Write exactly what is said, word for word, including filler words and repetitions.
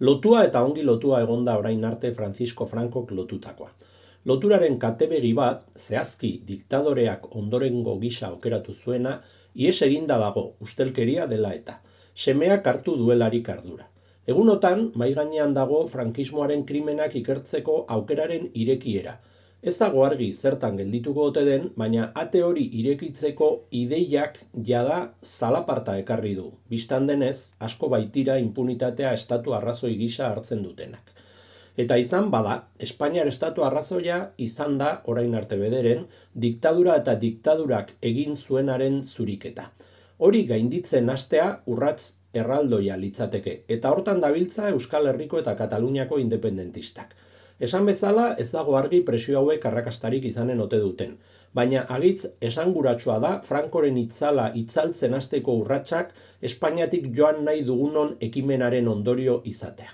Lotua eta ongi lotua egonda orain arte Francisco Francok lotutakoa. Loturaren katebegi bat, zehazki diktadoreak ondorengo gisa aukeratu zuena, ihes eginda dago, ustelkeria dela eta. Semeak hartu duelarik ardura. Egunotan, mahai gainean dago frankismoaren krimenak ikertzeko aukeraren irekiera. Ez dago argi zertan geldituko ote den, baina ate hori irekitzeko ideiak jada zalaparta ekarri du. Bistan denez, asko baitira inpunitatea estatu arrazoi gisa hartzen dutenak. Eta izan bada, Espainiar estatu arrazoia izan da, orain arte bederen, diktadura eta diktadurak egin zuenaren zuriketa. Hori gainditzen hastea urrats erraldoia litzateke, eta hortan dabiltza Euskal Herriko eta Kataluniako independentistak. Esan bezala ez dago argi presio hauek arrakastarik izanen ote duten, baina agitz esanguratsua da Frankoren itzala itzaltzen hasteko urratsak Espainiatik joan nahi dugunon ekimenaren ondorio izatea.